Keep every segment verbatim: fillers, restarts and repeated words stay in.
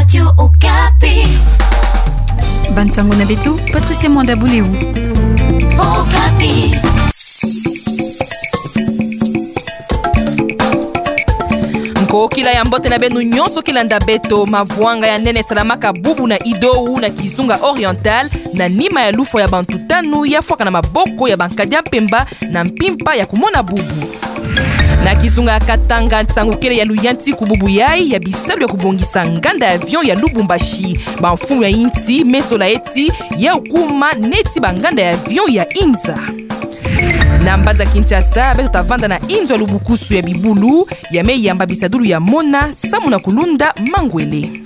Radio Okapi. Bansango na beto, Patricia Mwanda Buleu. Okapi. Nkokila ya mbote na beno nyonso kilanda beto. Mavwanga ya nene esalamaka bubu na Ido-Ou na kizunga Oriental, na nima ya lufwa ya bantu tanu ya fwaka na maboko ya bankadi ya mpemba na mpimpa ya kumona bubu. Na kizunga ya Katanga, nsangu kele ya luyantiku bubu yai ya bisalu ya kubongisa nganda ya avion ya Lubumbashi. Bamfumu ya insi me sola eti ya kuma neti banganda ya avion ya inza. Na mbanza Kinshasa, beto ta vanda na inzo ya lubukusu ya bibulu, ya me yamba bisadulu ya mona samu na kulunda mangwele.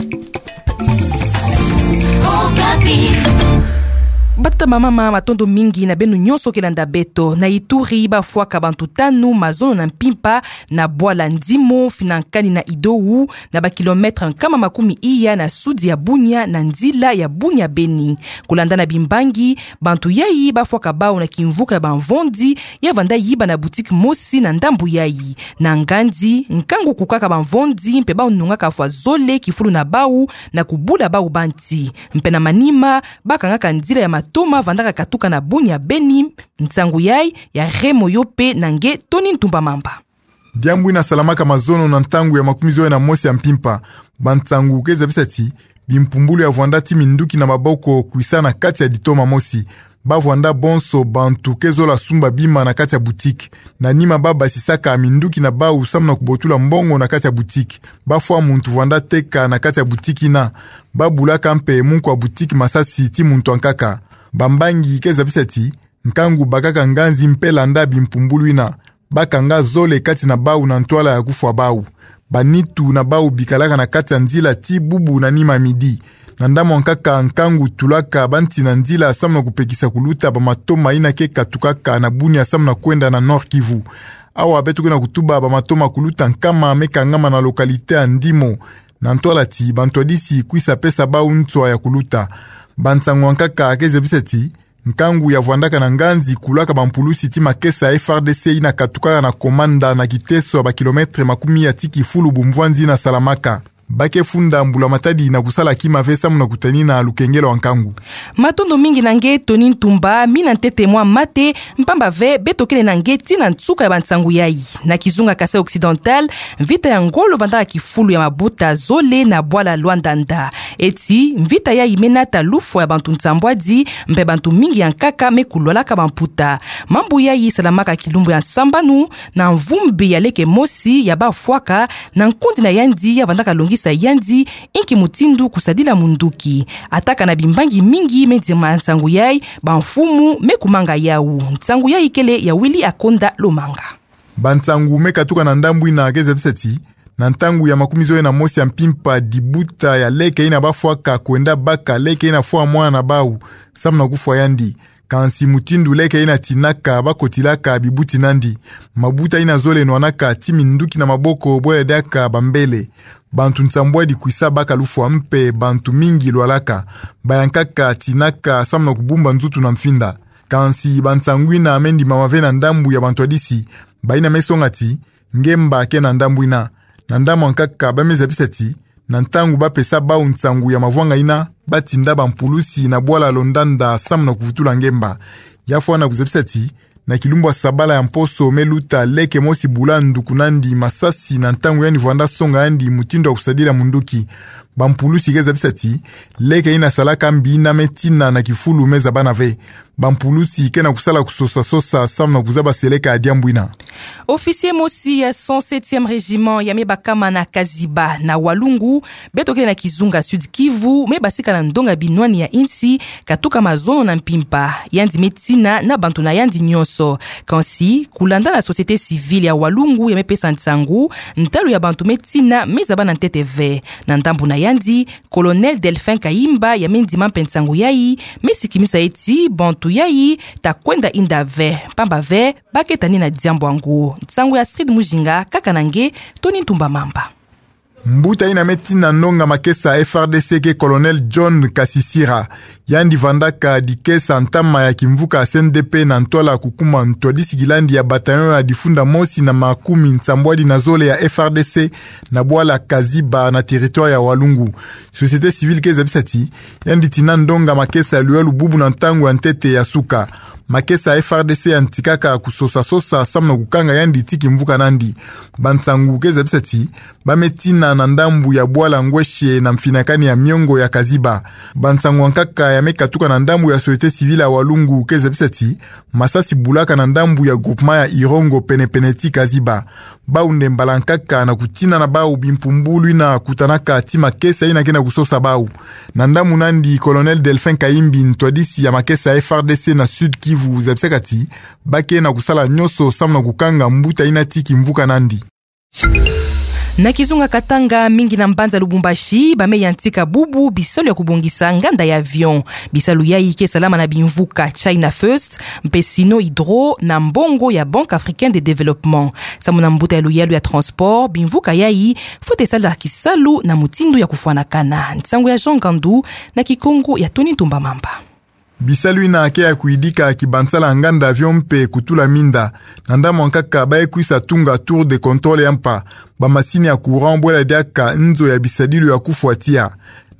Okapi. Batata, bamama, matondo mingi na beno nyonso kilanda beto. Na Ituri, bafwaka bantu tanu mazono na mpimpa na bwala Ndimo, finankani na Ido-Ou, na ba kilomètre nkama makumi iya na sudi ya Bunia, na nzila ya Bunia-Beni. Kulanda na bimbangi, bantu yai bafwaka bau na kimvuka ya bamvondi ya vanda yiba na boutique mosi na ndambu yai. Na nganzi, nkangu kukaka bamvondi mpe bau nungaka fwa zole kifulu na bau na kubula bau ba nti. Mpe na manima, bakangaka nzila ya matoma vandaka katuka na Bunia-Beni. Nsangu yai ya Remo Yope na nge Tony Ntumba Mamba. Diambu ina salamaka mazono na ntangu ya makumi zole na mosi ya mpimpa. Bansangu ke zabisa ti bimpumbulu ya vwanda ti minduki na maboko kwisa na kati ya ditoma mosi. Ba vwanda bonso bantu ke zola sumba bima na kati ya boutique. Na nima ba basisaka minduki na bau samu na kubotula mbongo na kati ya boutique. Ba fwa muntu vwanda teka na kati ya boutique ina. Ba bulaka mpe munku ya boutique masasi ti muntu ankaka. Bambangi ke zabisa ti nkangu bakaka nganzi mpe landa bimpumbulu ina, bakanga zole kati na bau na ntwala ya kufwa bau. Banitu na bau bikalaka na kati ya nzila ti bubu na nima midi. Na ndambu ankaka, nkangu tulaka ba nti na nzila samu na kupekisa kuluta bamatoma ina ke katukaka na Bunia samu na kwenda na Nord-Kivu. Awa beto ke na kutuba bamatoma kuluta nkama me kangama na localité ya Ndimo, na ntwala ti bantu ya disi kwisa pesa bau nswa ya kuluta. Bansangu ankaka ke zabisa ti nkangu ya vwandaka na nganzi kulaka bampulusi ti makesa ya F R D C ina katukaka na Komanda na kiteso ya ba kilomètre makumi ya ti kifulu bumvwanzi ina salamaka. Ba ke funda mbula matadi na kusala kima ve samu na kutanina lukengelo ya nkangu. Matondo mingi na nge Tony Ntumba, mina ntete mwa mate, mpamba ve beto kele na nge ti na nsuka ya bansangu yai. Na kizunga Kasaï Occidental, mvita ya ngolo vandaka kifulu ya mabuta zole na bwala Luandanda. Eti mvita yai me nata lufwa ya bantu nsambwadi, mpe bantu mingi ya nkaka me kulwalaka bamputa. Mambu yai salamaka kilumbu ya sambanu, na mvumbi ya leke mosi ya bafwaka, na nkundi na yandi ya vandaka longisa yandi inki mutindu kusadila munduki. Ataka na bimbangi mingi me ndima nsangu yai, bamfumu me kumanga yau. Nsangu yai kele ya Willy Akonda Lomanga. Bansangu me katuka na ndambu ina ke zabisa ti, na ntangu ya makumi zole na mosi ya mpimpa, dibuta ya leke ina bafwaka kwenda baka leke ina fwa mwana na bau samu na kufwa yandi. Kansi mutindu leke ina tinaka, bakotilaka bibuti nandi. Mabuta ina zole nwanaka ti minduki na maboko bwele diaka bambele. Bantu nsambwadi kwisa baka lufwa mpe bantu mingi lwalaka. Bayankaka tinaka samu na kubumba nzutu na mfinda. Kansi bansangu ina me ndimama ve na ndambu ya bantu ya disi, bayina me songa ti ngemba ke na ndambu ina. Na ndambu ankaka ba me zabisa ti, na ntangu bapesa bau nsangu ya mavwanga ina, batinda bampulusi na bwala Luandanda samu na kuvutula ngemba. Ya fwana kuzabisa ti, na kilumbu ya sabala ya mposo me luta, leke mosi bula nduku nandi masasi na ntangu yandi vwanda songa yandi mutindu ya kusadila munduki. Bampulusi ke zabisa ti, leke ina salaka mbi ina me tina na kifulu me zabana ve. Bampulusi ke na kusala kusosa-sosa samu na kuzaba seleka ya diambu ina. Officier mosi ya cent septième régiment ya me bakama na Kaziba na Walungu, beto kele na kizunga Sud-Kivu, me basika na ndonga binwani ya insi, katuka mazono na mpimpa. Yandi me tina na bantu na yandi nyonso. Kansi, kulanda na société civile ya Walungu ya me pesa nsangu, ntalu ya bantu me tina me zabana ntete ve. Na ndambu na yandi, Colonel Delphin Kayimba ya me ndima mpe nsangu yai, me sikimisa eti bantu yai ta kwenda inda ve, mpamba ve ba ke tani na diambu yango. Nsangu ya Astrid Mujinga, kaka na nge Tony Ntumba Mamba. Mbuta ina me tina ndonga makesa F R D C ke Colonel John Kasisira. Yandi vandaka dikesa ntama ya kimvuka C N D P na ntwala kukuma ntwadisi kilandi ya bataillon ya difunda mosi na makumi nsambwadi na zole ya F R D C na bwala Kaziba na territoire ya Walungu. Société civile ke zabisa ti, yandi tina ndonga makesa luyalu bubu na ntangu ya ntete ya suka. Makesa F R D C yantikaka kusosa-sosa samu na kukanga yandi ti kimvuka nandi. Bansangu ke zabisa ti, ba me tina na ndambu ya bwala Ngweshe na mfinakani ya miongo ya Kaziba. Bansangu ya nkaka ya me katuka na ndambu ya société civile ya Walungu ke zabisa ti, masasi bulaka na ndambu ya groupement ya Irongo pene-pene ti Kaziba. Bau nde mbala nkaka na kutina na bau bimpumbulu ina kutanaka ti makesa ina ke na kusosa bau. Na ndambu nandi, Colonel Delphin Kayimbi, ntwadisi ya makesa F R D C na Sud-Kivu, zabisaka ti, ba ke na kusala nyonso samu na kukanga mbuta ina ti kimvuka nandi. Na kizunga Katanga, mingi na mbanza Lubumbashi, ba me yantika bubu bisalu ya kubongisa nganda ya avion. Bisalu yayi ke salama na bimvuka China First, mpe Sino Hydro na mbongo ya Banque Africaine de Développement. Samu na mbuta ya luyalu ya transport, bimvuka yayi fwete sala kisalu na mutindu ya kufwanakana. Nsangu ya Jean Ngandu na Kikongo ya Tony Ntumba Mamba. Bisalu ina ke ya kuyidika kibansala nganda avion mpe kutula minda. Na ndambu ya nkaka, ba ye kwisa tunga tour de contrôle ya mpa, bamasini ya courant, bwela diaka nzo ya bisadilu ya kufwa tiya.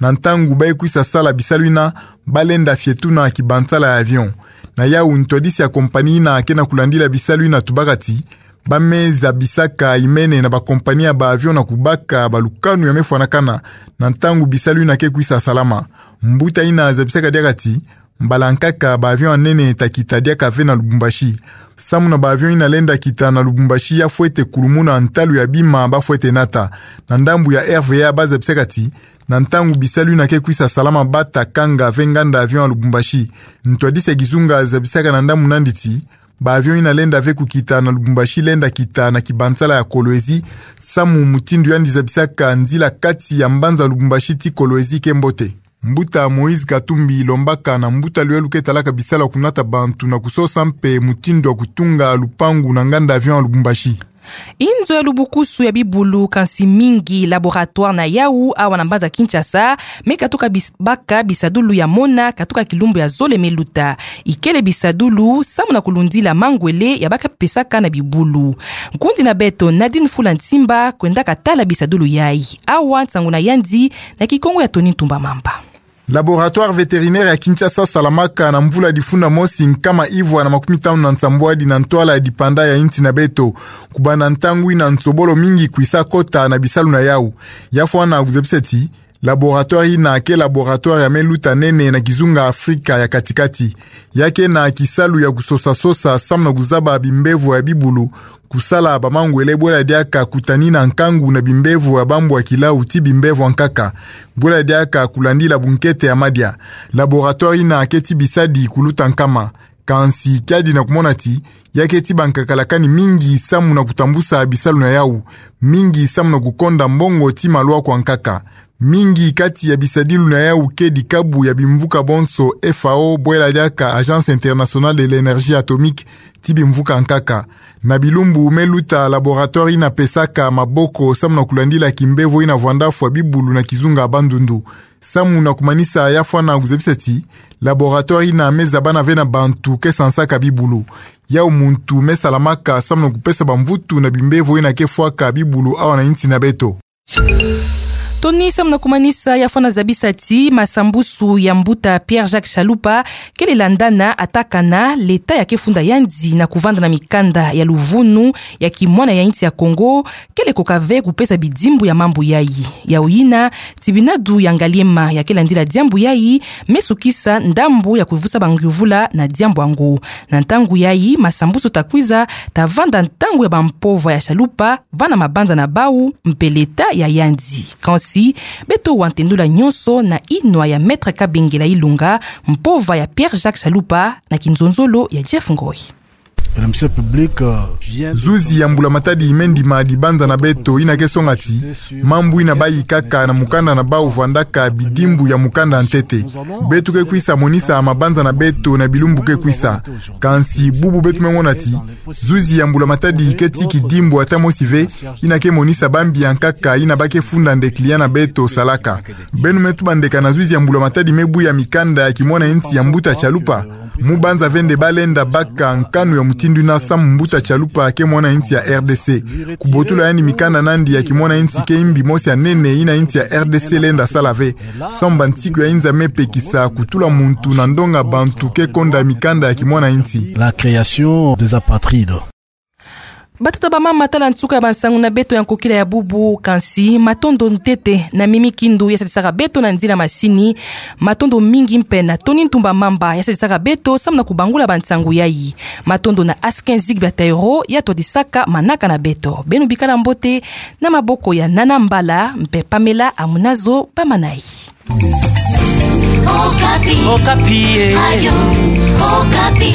Na ntangu ba ye kwisa sala bisalu ina, ba lenda fietuna kibansala ya avion. Na yau, ntwadisi ya compagnie ina ke na kulandila bisalu ina tubaka ti, ba me zabisaka imene na bacompagnie ya ba avion na kubaka balukanu ya me fwanakana na ntangu bisalu ina ke kwisa salama. Mbuta ina zabisaka diaka ti, mbala nkaka ba avion ya nene ta kita diaka ve na Lubumbashi. Samu na ba avion ina lenda kita na Lubumbashi ya fwete kulumuna ntalu ya bima ba fwete nata. Na ndambu ya R V A, ba zabisaka ti, na ntangu bisalu ina ke kwisa salama, ba ta kanga ve nganda avion ya Lubumbashi. Ntwadisi ya kizunga zabisaka na ndambu nandi ti, ba avion ina lenda ve kukita na Lubumbashi lenda kita na kibansala ya Kolwezi, samu mutindu yandi zabisaka, nzila kati ya mbanza Lubumbashi ti Kolwezi ke mbote. Mbuta Moïse Katumbi lombaka na mbuta luyalu ke talaka bisalu ya kunata bantu na kusosa mpe mutindu ya kutunga lupangu na nganda avion ya Lubumbashi. Inzo ya lubukusu ya bibulu, kansi mingi laboratoire na yau awa na mbanza Kinshasa, me katuka bis-, baka bisadulu ya mona katuka kilumbu ya zole me luta. Ikele bisadulu samu na kulundila mangwele ya ba ke pesaka na bibulu. Nkundi na beto Nadine Fula Nsimba kwendaka tala bisadulu yayi. Awa nsangu na yandi na Kikongo ya Tony Ntumba Mamba. Laboratoire vétérinaire ya Kinshasa salamaka na mvula difunda mosi nkama ivwa na makumi tanu na nsambwadi na ntwala ya dipanda ya insi na beto. Kubanda ntangu ina, nsobolo mingi kwisa kota na bisalu na yau. Ya fwana kuzabisa ti, laboratoire ina ke laboratoire ya me luta nene na kizunga Afrika ya kati-kati. Ya ke na kisalu ya kusosa-sosa samu na kuzaba bimbevo ya bibulu, kusala bamangwele, bwela diaka kutanina nkangu na bimbevo ya bambwa kilau ti bimbevo ya nkaka, bwela diaka kulandila bunkete ya madia. Laboratoire ina ke ti bisadi kuluta nkama. Kansi kiadi na kumona ti, ya ke ti bankakalakani mingi samu na kutambusa bisalu na yau, mingi samu na kukonda mbongo ti malwaku ya nkaka. Mingi kati ya bisadilu na yau ke dikabu ya bimvuka bonso, F A O, bwela diaka Agence Internationale de l'Énergie Atomique, ti bimvuka ya nkaka. Na bilumbu me luta, laboratoire ina pesaka maboko samu na kulandila kimbevo ina vwanda fwa bibulu na kizunga Bandundu. Samu na kumanisa, ya fwana kuzabisa ti, laboratoire ina me zabana ve na bantu ke sansaka bibulu. Yau muntu me salamaka samu na kupesa bamvutu na bimbevo ina ke fwaka bibulu awa na insi na beto. Tony, samu na kumanisa, ya fwana zabisa ti masambusu ya mbuta Pierre-Jacques Chalupa kele landana, atakana leta ya ke funda yandi na kuvanda na mikanda ya luvunu ya kimwana ya insi ya Kongo, kele koka ve kupesa bidimbu ya mambu yayi. Yau ina, tibinadu ya Ngaliema ya ke landila diambu yayi me sukisa ndambu ya kuvusa bangyuvula na diambu yango. Na ntangu yayi, masambusu ta kwiza, ta vanda ntangu ya bampova ya Chalupa va na mabanza na bau mpe leta ya yandi. Kansi, beto wa ntendula nyonso na inwa ya Maître Kabengela Ilunga, mpova ya Pierre-Jacques Chalupa, na kinzonzolo ya Jeff Ngoi. Zuzi ya mbula matadi me ndima dibanza na beto ina ke songa ti mambu ina bayi kaka na mukanda na bau vandaka bidimbu ya mukanda ntete. Beto ke kwisa monisa mabanza na beto na bilumbu ke kwisa. Kansi bubu beto me mona ti zuzi ya mbula matadi ke ti kidimbu ata mosi ve ina ke monisa bambi ya nkaka ina ba ke funda nde client na beto salaka. Beno me tuba nde kana zuzi ya mbula matadi me buya mikanda ya kimwana insi ya mbuta Chalupa. Mu banza ve nde ba lenda baka nkanu ya mutindu ina samu mbuta Chalupa ke mwana insi ya R D C. Kubotula yandi mikanda nandi ya kimwana insi ke imbi mosi ya nene ina insi ya R D C lenda sala ve. Samu bansiku ya inza me pekisa kutula muntu na ndonga bantu ke konda mikanda ya kimwana insi. La création des apatrides. Batata, bamama, tala nsuka ya bansangu na beto ya nkokila ya bubu, kansi matondo ntete na Mimi Kindu ya sadisaka beto na nzila masini. Matondo mingi mpe na Tony Ntumba Mamba ya sadisaka beto samu na kubangula bansangu yayi. Matondo na Askin Zigbia Taïro ya twadisaka manaka na beto. Beno bikala mbote, na maboko ya Nana Mbala mpe Pamela Amunazo Bamanayi. Okapi. Okapi, eh. Radio Okapi.